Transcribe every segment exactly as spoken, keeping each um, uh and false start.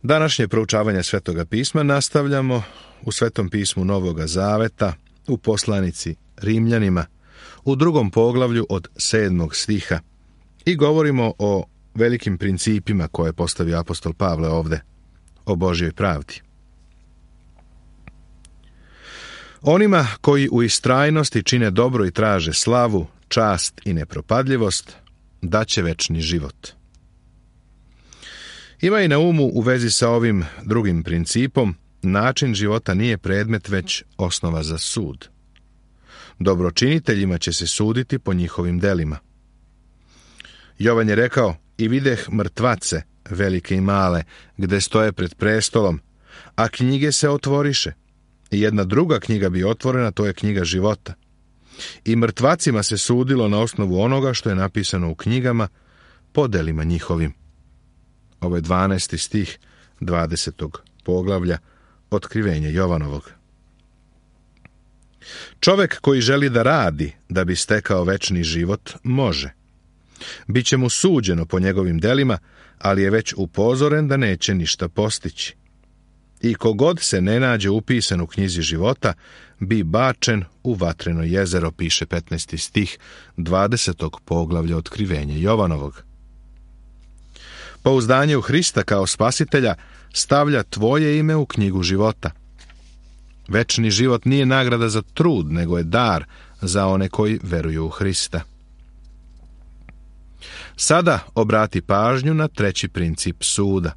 Današnje proučavanje Svetoga pisma nastavljamo u Svetom pismu Novoga Zaveta, u poslanici Rimljanima, u drugom poglavlju od sedmog stiha i govorimo o velikim principima koje je postavio apostol Pavle ovde, o Božjoj pravdi. Onima koji u istrajnosti čine dobro i traže slavu, čast i nepropadljivost, daće večni život. Ima i na umu u vezi sa ovim drugim principom, način života nije predmet, već osnova za sud. Dobročiniteljima će se suditi po njihovim delima. Jovan je rekao, i videh mrtvace, velike i male, gde stoje pred prestolom, a knjige se otvoriše. I jedna druga knjiga bi otvorena, to je knjiga života. I mrtvacima se sudilo na osnovu onoga što je napisano u knjigama, po delima njihovim. Ovo je dvanaesti stih dvadesetog poglavlja Otkrivenja Jovanovog. Čovek koji želi da radi da bi stekao večni život, može. Biće mu suđeno po njegovim delima, ali je već upozoren da neće ništa postići. I kogod se ne nađe upisan u knjizi života, bi bačen u vatreno jezero, piše petnaesti stih dvadesetog poglavlja Otkrivenja Jovanovog. Pouzdanje u Hrista kao spasitelja stavlja tvoje ime u knjigu života. Večni život nije nagrada za trud, nego je dar za one koji veruju u Hrista. Sada obrati pažnju na treći princip suda.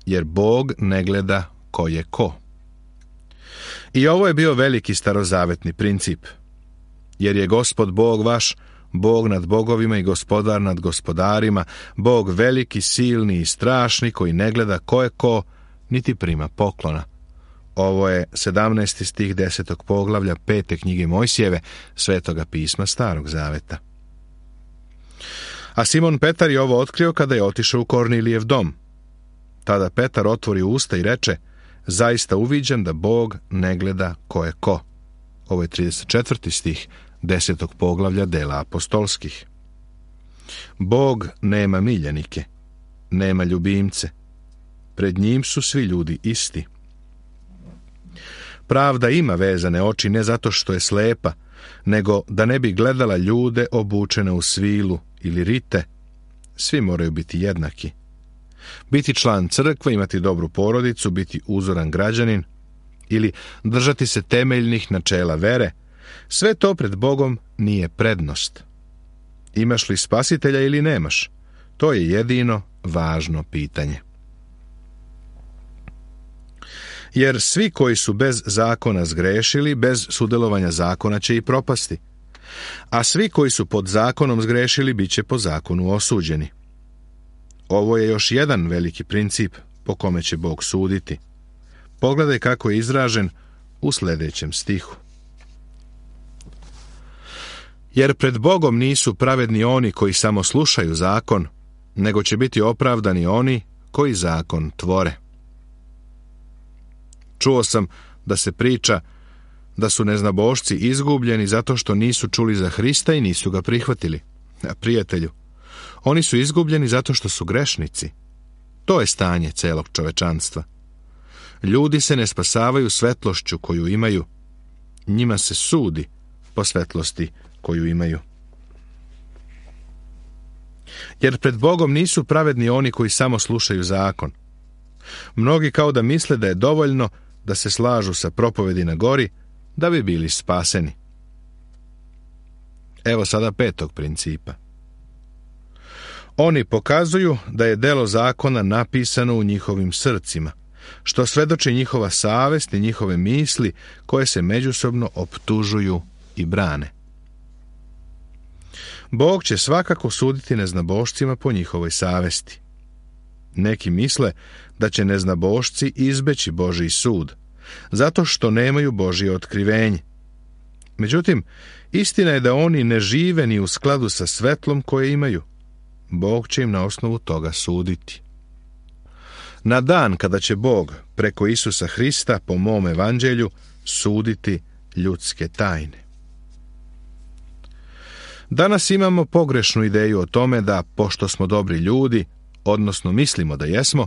Jer Bog ne gleda ko je ko. I ovo je bio veliki starozavetni princip. Jer je Gospod Bog vaš, Bog nad bogovima i gospodar nad gospodarima, Bog veliki, silni i strašni, koji ne gleda ko je ko, niti prima poklona. Ovo je sedamnaesti stih desetog poglavlja pete knjige Mojsijeve, Svetoga pisma Starog Zaveta. A Simon Petar je ovo otkrio kada je otišao u Kornilijev dom. Tada Petar otvori usta i reče, zaista uviđam da Bog ne gleda ko je ko. Ovo je trideset četvrti stih desetog poglavlja dela apostolskih. Bog nema miljenike, nema ljubimce. Pred njim su svi ljudi isti. Pravda ima vezane oči ne zato što je slepa, nego da ne bi gledala ljude obučene u svilu ili rite. Svi moraju biti jednaki. Biti član crkve, imati dobru porodicu, biti uzoran građanin ili držati se temeljnih načela vere, sve to pred Bogom nije prednost. Imaš li spasitelja ili nemaš? To je jedino važno pitanje. Jer svi koji su bez zakona zgrešili, bez sudjelovanja zakona će i propasti. A svi koji su pod zakonom zgrešili, bit će po zakonu osuđeni. Ovo je još jedan veliki princip po kome će Bog suditi. Pogledaj kako je izražen u sljedećem stihu. Jer pred Bogom nisu pravedni oni koji samo slušaju zakon, nego će biti opravdani oni koji zakon tvore. Čuo sam da se priča da su neznabošci izgubljeni zato što nisu čuli za Hrista i nisu ga prihvatili. A prijatelju, oni su izgubljeni zato što su grešnici. To je stanje celog čovečanstva. Ljudi se ne spasavaju svetlošću koju imaju. Njima se sudi po svetlosti koju imaju. Jer pred Bogom nisu pravedni oni koji samo slušaju zakon. Mnogi kao da misle da je dovoljno da se slažu sa propovedi na gori, da bi bili spaseni. Evo sada petog principa. Oni pokazuju da je delo zakona napisano u njihovim srcima, što svedoči njihova savest i njihove misli koje se međusobno optužuju i brane. Bog će svakako suditi neznabošcima po njihovoj savesti. Neki misle da će neznabošci izbeći Božji sud, zato što nemaju Božje otkrivenje. Međutim, istina je da oni ne žive ni u skladu sa svetlom koje imaju. Bog će im na osnovu toga suditi. Na dan kada će Bog preko Isusa Hrista po mom evanđelju suditi ljudske tajne. Danas imamo pogrešnu ideju o tome da, pošto smo dobri ljudi, odnosno mislimo da jesmo,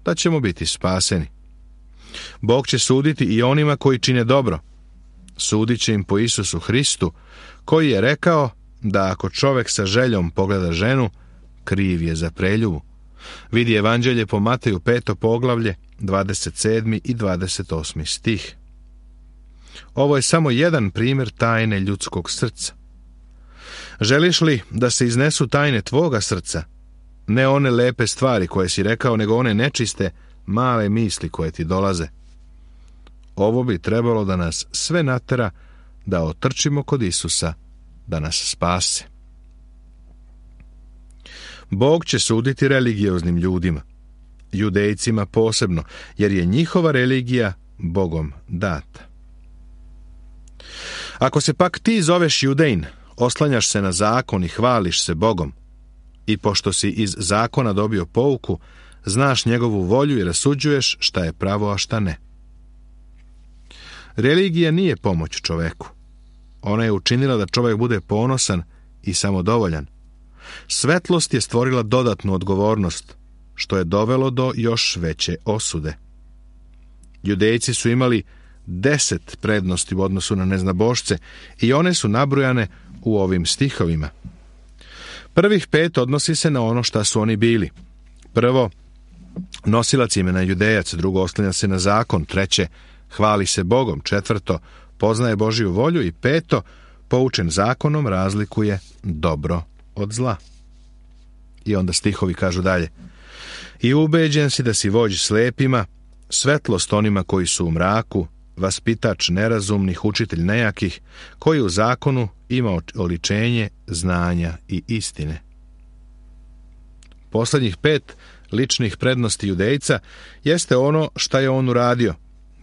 da ćemo biti spaseni. Bog će suditi i onima koji čine dobro. Sudit će im po Isusu Hristu, koji je rekao da ako čovjek sa željom pogleda ženu, kriv je za preljubu. Vidi Evanđelje po Mateju peto poglavlje, dvadeset sedmi i dvadeset osmi stih. Ovo je samo jedan primjer tajne ljudskog srca. Želiš li da se iznesu tajne tvoga srca? Ne one lepe stvari koje si rekao, nego one nečiste, male misli koje ti dolaze. Ovo bi trebalo da nas sve natera da otrčimo kod Isusa, da nas spase. Bog će suditi religioznim ljudima, Judejcima posebno, jer je njihova religija Bogom data. Ako se pak ti zoveš Judejin, oslanjaš se na zakon i hvališ se Bogom, i pošto si iz zakona dobio pouku, znaš njegovu volju i rasuđuješ šta je pravo, a šta ne. Religija nije pomoć čoveku. Ona je učinila da čovjek bude ponosan i samodovoljan. Svetlost je stvorila dodatnu odgovornost, što je dovelo do još veće osude. Judejci su imali deset prednosti u odnosu na neznabošce i one su nabrojane u ovim stihovima. Prvih pet odnosi se na ono šta su oni bili. Prvo, nosilac imena Judejac, drugo, oslanja se na zakon, treće, hvali se Bogom, četvrto, poznaje Božju volju i peto, poučen zakonom, razlikuje dobro od zla. I onda stihovi kažu dalje. I ubeđen si da si vođ slepima, svetlost onima koji su u mraku, vaspitač nerazumnih, učitelj nejakih, koji u zakonu ima oličenje znanja i istine. Posljednjih pet ličnih prednosti Judejca jeste ono šta je on uradio.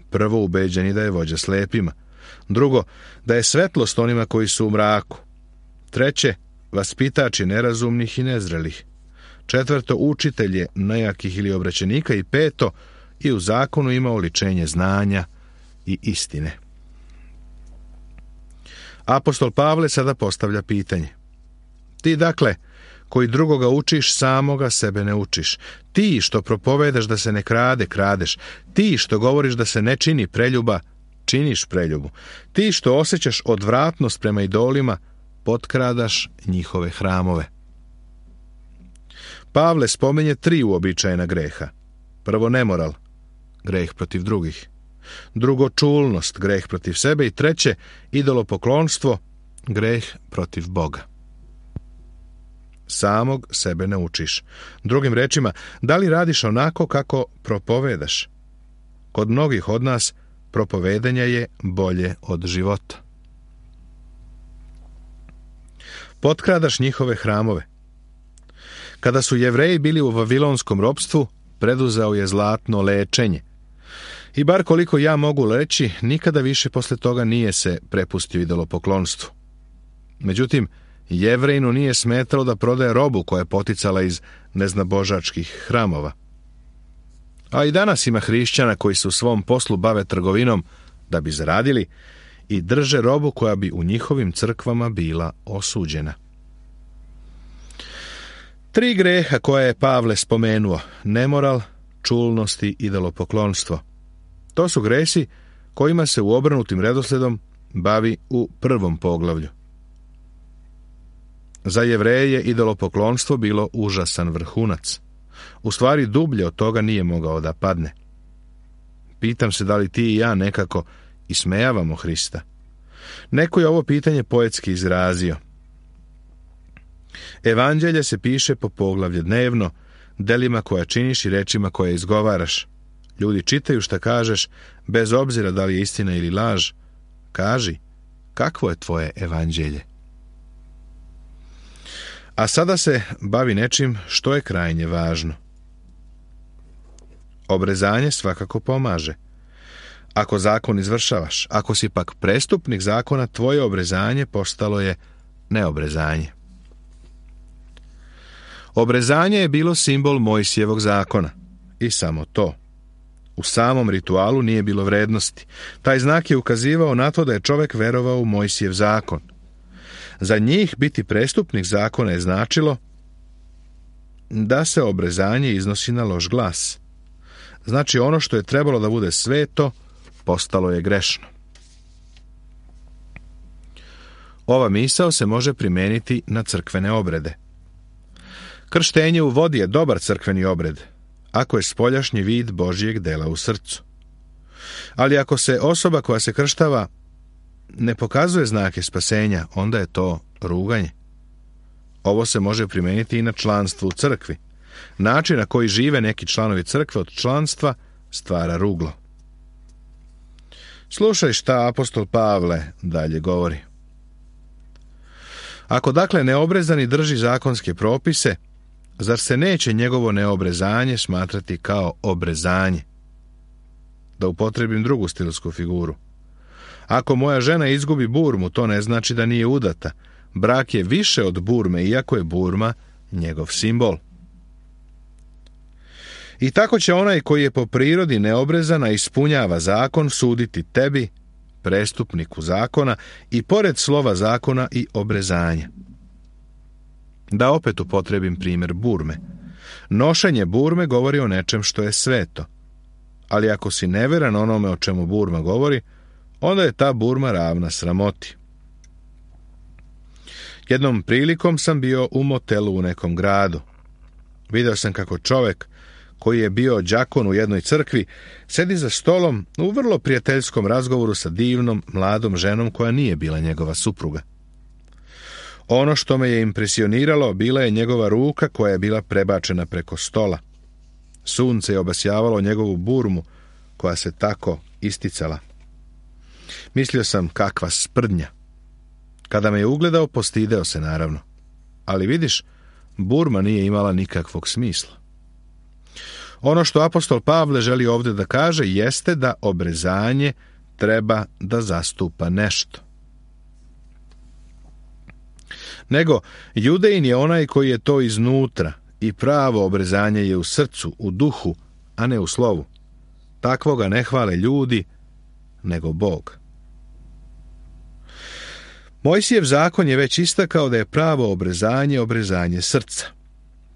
Prvo, ubeđeni da je vođa slepima. Drugo, da je svetlost onima koji su u mraku. Treće, vaspitač je nerazumnih i nezrelih. Četvrto, učitelj je nejakih ili obraćenika. I peto, i u zakonu ima oličenje znanja i istine. Apostol Pavle sada postavlja pitanje. Ti dakle, koji drugoga učiš, samoga sebe ne učiš. Ti što propovedaš da se ne krade, kradeš. Ti što govoriš da se ne čini preljuba, činiš preljubu. Ti što osjećaš odvratnost prema idolima, potkradaš njihove hramove. Pavle spominje tri uobičajena greha. Prvo, nemoral, greh protiv drugih. Drugo, čulnost, greh protiv sebe. I treće, idolopoklonstvo, greh protiv Boga. Samog sebe ne učiš. Drugim rečima, da li radiš onako kako propovedaš? Kod mnogih od nas propovedanje je bolje od života. Potkradaš njihove hramove. Kada su Jevreji bili u vavilonskom ropstvu, preduzeo je zlatno lečenje. I bar koliko ja mogu reći, nikada više posle toga nije se prepustio idolopoklonstvu. Međutim, Jevrejinu nije smetalo da prodaje robu koja je poticala iz neznabožačkih hramova. A i danas ima hrišćana koji se u svom poslu bave trgovinom da bi zaradili i drže robu koja bi u njihovim crkvama bila osuđena. Tri greha koje je Pavle spomenuo, nemoral, čulnost i idolopoklonstvo. To su gresi kojima se u obrnutim redosledom bavi u prvom poglavlju. Za Jevreje je idolopoklonstvo bilo užasan vrhunac. U stvari dublje od toga nije mogao da padne. Pitam se da li ti i ja nekako ismejavamo Hrista. Neko je ovo pitanje poetski izrazio. Evanđelje se piše po poglavlje dnevno, delima koja činiš i rečima koje izgovaraš. Ljudi čitaju šta kažeš, bez obzira da li je istina ili laž. Kaži, kakvo je tvoje evanđelje? A sada se bavi nečim što je krajnje važno. Obrezanje svakako pomaže. Ako zakon izvršavaš, ako si pak prestupnik zakona, tvoje obrezanje postalo je neobrezanje. Obrezanje je bilo simbol Mojsijevog zakona. I samo to. U samom ritualu nije bilo vrednosti. Taj znak je ukazivao na to da je čovjek verovao u Mojsijev zakon. Za njih biti prestupnik zakona je značilo da se obrezanje iznosi na loš glas. Znači ono što je trebalo da bude sveto, postalo je grešno. Ova misao se može primijeniti na crkvene obrede. Krštenje u vodi je dobar crkveni obred, ako je spoljašnji vid Božjeg dela u srcu. Ali ako se osoba koja se krštava ne pokazuje znake spasenja, onda je to ruganje. Ovo se može primijeniti i na članstvo u crkvi. Način na koji žive neki članovi crkve od članstva stvara ruglo. Slušaj šta apostol Pavle dalje govori. Ako dakle neobrezani drži zakonske propise, zar se neće njegovo neobrezanje smatrati kao obrezanje? Da upotrebim drugu stilsku figuru. Ako moja žena izgubi burmu, to ne znači da nije udata. Brak je više od burme, iako je burma njegov simbol. I tako će onaj koji je po prirodi neobrezana ispunjava zakon suditi tebi, prestupniku zakona, i pored slova zakona i obrezanja. Da opet upotrebim primjer burme. Nošenje burme govori o nečem što je sveto. Ali ako si neveran onome o čemu burma govori, onda je ta burma ravna sramoti. Jednom prilikom sam bio u motelu u nekom gradu. Video sam kako čovjek koji je bio đakon u jednoj crkvi sedi za stolom u vrlo prijateljskom razgovoru sa divnom mladom ženom koja nije bila njegova supruga. Ono što me je impresioniralo bila je njegova ruka koja je bila prebačena preko stola. Sunce je obasjavalo njegovu burmu koja se tako isticala. Mislio sam, kakva sprdnja. Kada me je ugledao, postideo se naravno. Ali vidiš, burma nije imala nikakvog smisla. Ono što apostol Pavle želi ovdje da kaže jeste da obrezanje treba da zastupa nešto. Nego, Judejin je onaj koji je to iznutra i pravo obrezanje je u srcu, u duhu, a ne u slovu. Takvoga ne hvale ljudi, nego Bog. Mojsijev zakon je već istakao da je pravo obrezanje obrezanje srca.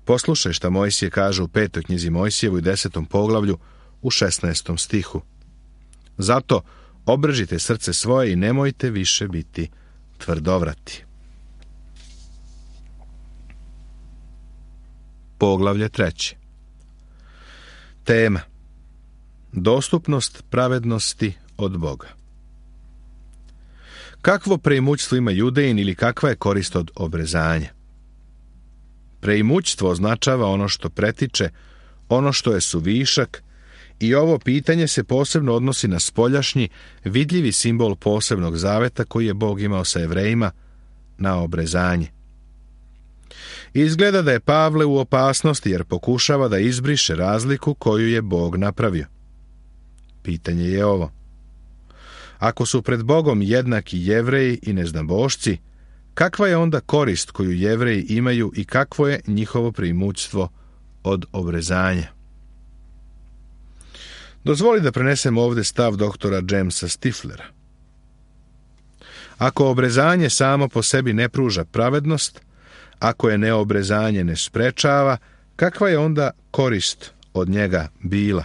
Poslušaj šta Mojsije kaže u petoj knjizi Mojsijevu i desetom poglavlju u šesnaestom stihu. Zato obrežite srce svoje i nemojte više biti tvrdovrati. Poglavlje treće. Tema. Dostupnost pravednosti od Boga. Kakvo preimućstvo ima Judejin ili kakva je korist od obrezanja? Preimućstvo označava ono što pretiče, ono što je suvišak, i ovo pitanje se posebno odnosi na spoljašnji, vidljivi simbol posebnog zaveta koji je Bog imao sa Jevrejima, na obrezanje. Izgleda da je Pavle u opasnosti jer pokušava da izbriše razliku koju je Bog napravio. Pitanje je ovo. Ako su pred Bogom jednaki Jevreji i neznabošci, kakva je onda korist koju Jevreji imaju i kakvo je njihovo preimućstvo od obrezanja? Dozvoli da prenesem ovdje stav doktora Jamesa Stiflera. Ako obrezanje samo po sebi ne pruža pravednost, ako je neobrezanje ne sprečava, kakva je onda korist od njega bila?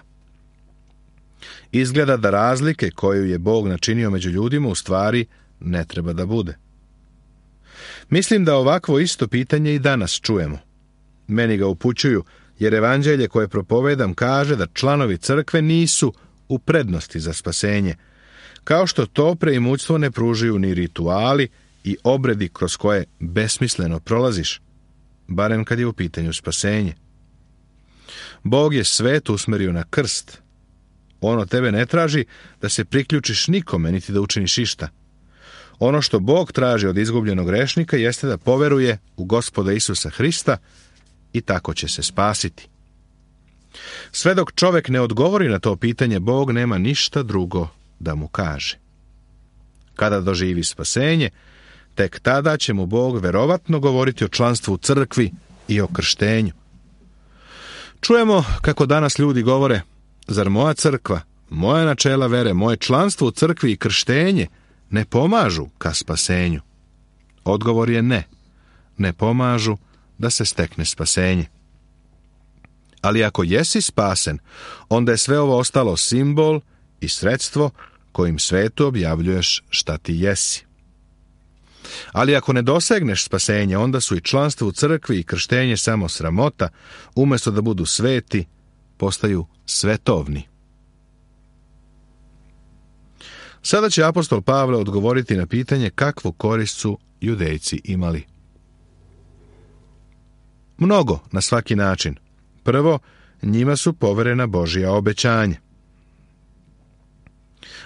Izgleda da razlike koju je Bog načinio među ljudima u stvari ne treba da bude. Mislim da ovakvo isto pitanje i danas čujemo. Meni ga upućuju, jer evanđelje koje propovedam kaže da članovi crkve nisu u prednosti za spasenje, kao što to preimućstvo ne pružaju ni rituali i obredi kroz koje besmisleno prolaziš, barem kad je u pitanju spasenje. Bog je svet usmerio na krst. On od tebe ne traži da se priključiš nikome, niti da učiniš išta. Ono što Bog traži od izgubljenog grešnika jeste da poveruje u Gospoda Isusa Hrista i tako će se spasiti. Sve dok čovjek ne odgovori na to pitanje, Bog nema ništa drugo da mu kaže. Kada doživi spasenje, tek tada će mu Bog verovatno govoriti o članstvu u crkvi i o krštenju. Čujemo kako danas ljudi govore: zar moja crkva, moja načela vere, moje članstvo u crkvi i krštenje ne pomažu ka spasenju? Odgovor je ne. Ne pomažu da se stekne spasenje. Ali ako jesi spasen, onda je sve ovo ostalo simbol i sredstvo kojim svetu objavljuješ šta ti jesi. Ali ako ne dosegneš spasenje, onda su i članstvo u crkvi i krštenje samo sramota, umjesto da budu sveti, postaju svetovni. Sada će apostol Pavle odgovoriti na pitanje kakvu korist su Judejci imali. Mnogo, na svaki način. Prvo, njima su poverena Božja obećanja.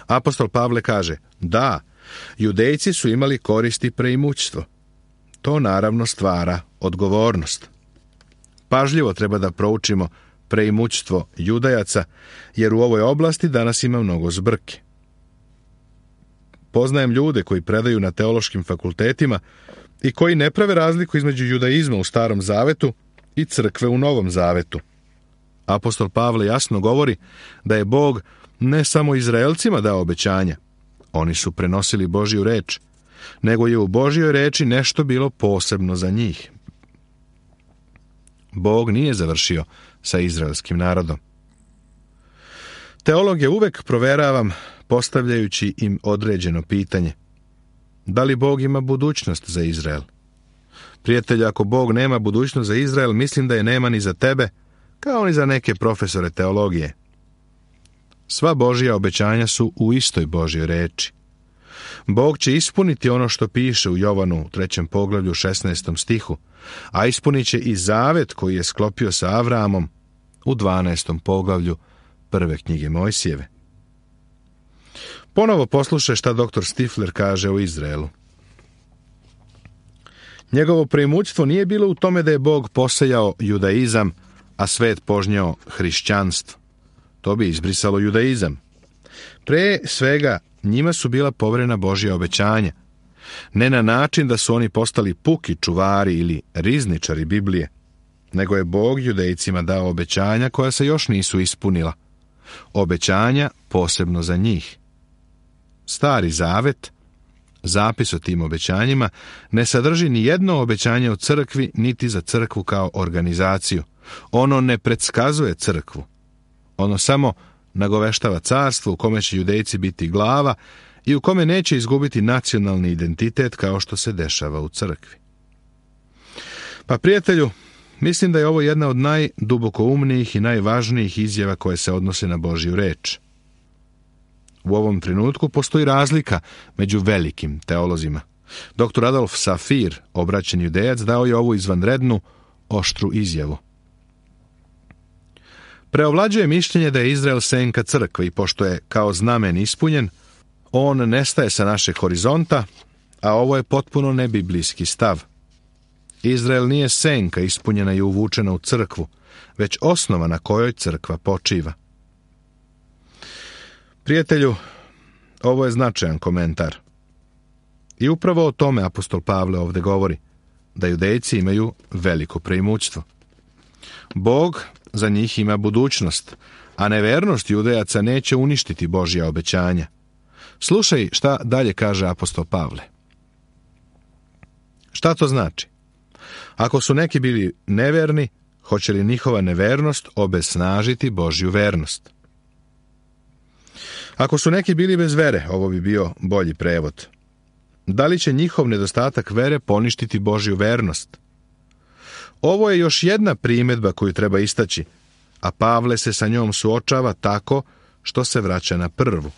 Apostol Pavle kaže, da, Judejci su imali korist i preimućstvo. To naravno stvara odgovornost. Pažljivo treba da proučimo preimućstvo Judajaca, jer u ovoj oblasti danas ima mnogo zbrke. Poznajem ljude koji predaju na teološkim fakultetima i koji ne prave razliku između judaizma u Starom Zavetu i crkve u Novom Zavetu. Apostol Pavle jasno govori da je Bog ne samo Izraelcima dao obećanja, oni su prenosili Božju reč, nego je u Božjoj reči nešto bilo posebno za njih. Bog nije završio sa izraelskim narodom. Teologe uvek proveravam postavljajući im određeno pitanje. Da li Bog ima budućnost za Izrael? Prijatelju, ako Bog nema budućnost za Izrael, mislim da je nema ni za tebe, kao ni za neke profesore teologije. Sva Božja obećanja su u istoj Božjoj reči. Bog će ispuniti ono što piše u Jovanu u trećem poglavlju šesnaestom stihu, a ispunit će i zavet koji je sklopio sa Avraamom u dvanaestom poglavlju prve knjige Mojsijeve. Ponovo poslušaj šta doktor Stifler kaže o Izraelu. Njegovo preimućstvo nije bilo u tome da je Bog posejao judaizam, a svet požnjao hrišćanstvo. To bi izbrisalo judaizam. Pre svega, njima su bila poverena Božja obećanja. Ne na način da su oni postali puki čuvari ili rizničari Biblije, nego je Bog Judejcima dao obećanja koja se još nisu ispunila. Obećanja posebno za njih. Stari Zavet, zapis o tim obećanjima, ne sadrži ni jedno obećanje o crkvi, niti za crkvu kao organizaciju. Ono ne predskazuje crkvu. Ono samo nagoveštava carstvo u kome će Judejci biti glava i u kome neće izgubiti nacionalni identitet kao što se dešava u crkvi. Pa prijatelju, mislim da je ovo jedna od najdubokoumnijih i najvažnijih izjava koje se odnose na Božju reč. U ovom trenutku postoji razlika među velikim teolozima. doktor Adolf Safir, obraćeni Judejac, dao je ovu izvanrednu, oštru izjavu. Preovlađuje mišljenje da je Izrael senka crkve i pošto je kao znamen ispunjen, on nestaje sa našeg horizonta, a ovo je potpuno nebiblijski stav. Izrael nije senka ispunjena i uvučena u crkvu, već osnova na kojoj crkva počiva. Prijatelju, ovo je značajan komentar. I upravo o tome apostol Pavle ovdje govori, da Judejci imaju veliko preimućstvo. Bog za njih ima budućnost, a nevernost Judejaca neće uništiti Božja obećanja. Slušaj šta dalje kaže apostol Pavle. Šta to znači? Ako su neki bili neverni, hoće li njihova nevernost obesnažiti Božju vernost? Ako su neki bili bez vere, ovo bi bio bolji prevod. Da li će njihov nedostatak vere poništiti Božju vernost? Ovo je još jedna primjedba koju treba istaći, a Pavle se sa njom suočava tako što se vraća na prvu.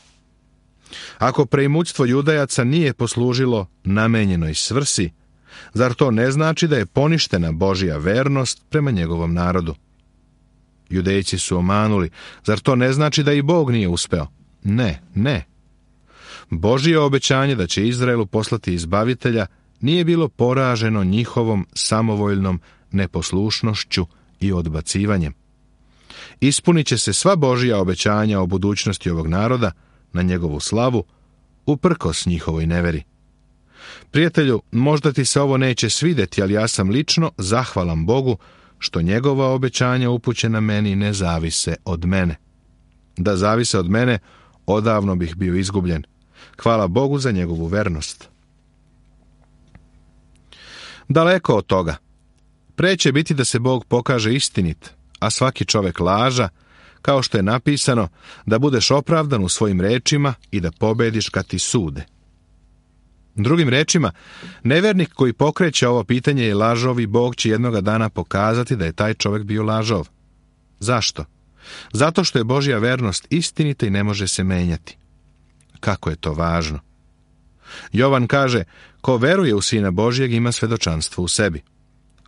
Ako preimućstvo Judajaca nije poslužilo namenjenoj svrsi, zar to ne znači da je poništena Božja vernost prema njegovom narodu? Judejci su omanuli, zar to ne znači da i Bog nije uspeo? Ne, ne. Božje obećanje da će Izraelu poslati izbavitelja nije bilo poraženo njihovom samovoljnom neposlušnošću i odbacivanjem. Ispunit će se sva Božja obećanja o budućnosti ovog naroda na njegovu slavu, uprkos njihovoj neveri. Prijatelju, možda ti se ovo neće svidjeti, ali ja sam lično zahvalan Bogu što njegova obećanja upućena meni ne zavise od mene. Da zavise od mene, odavno bih bio izgubljen. Hvala Bogu za njegovu vernost. Daleko od toga. Pre će biti da se Bog pokaže istinit, a svaki čovek laža, kao što je napisano, da budeš opravdan u svojim rečima i da pobediš kad ti sude. Drugim rečima, nevernik koji pokreće ovo pitanje je lažov i Bog će jednoga dana pokazati da je taj čovjek bio lažov. Zašto? Zato što je Božja vernost istinita i ne može se menjati. Kako je to važno? Jovan kaže, ko veruje u Sina Božjeg ima svedočanstvo u sebi.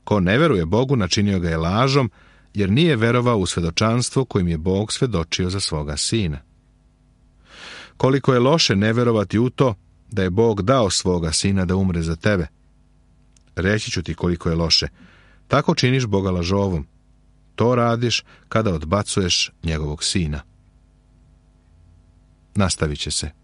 Ko ne veruje Bogu načinio ga je lažom, jer nije verovao u svedočanstvo kojim je Bog svedočio za svoga Sina. Koliko je loše ne verovati u to da je Bog dao svoga Sina da umre za tebe. Reći ću ti koliko je loše. Tako činiš Boga lažovom. To radiš kada odbacuješ njegovog Sina. Nastavit će se.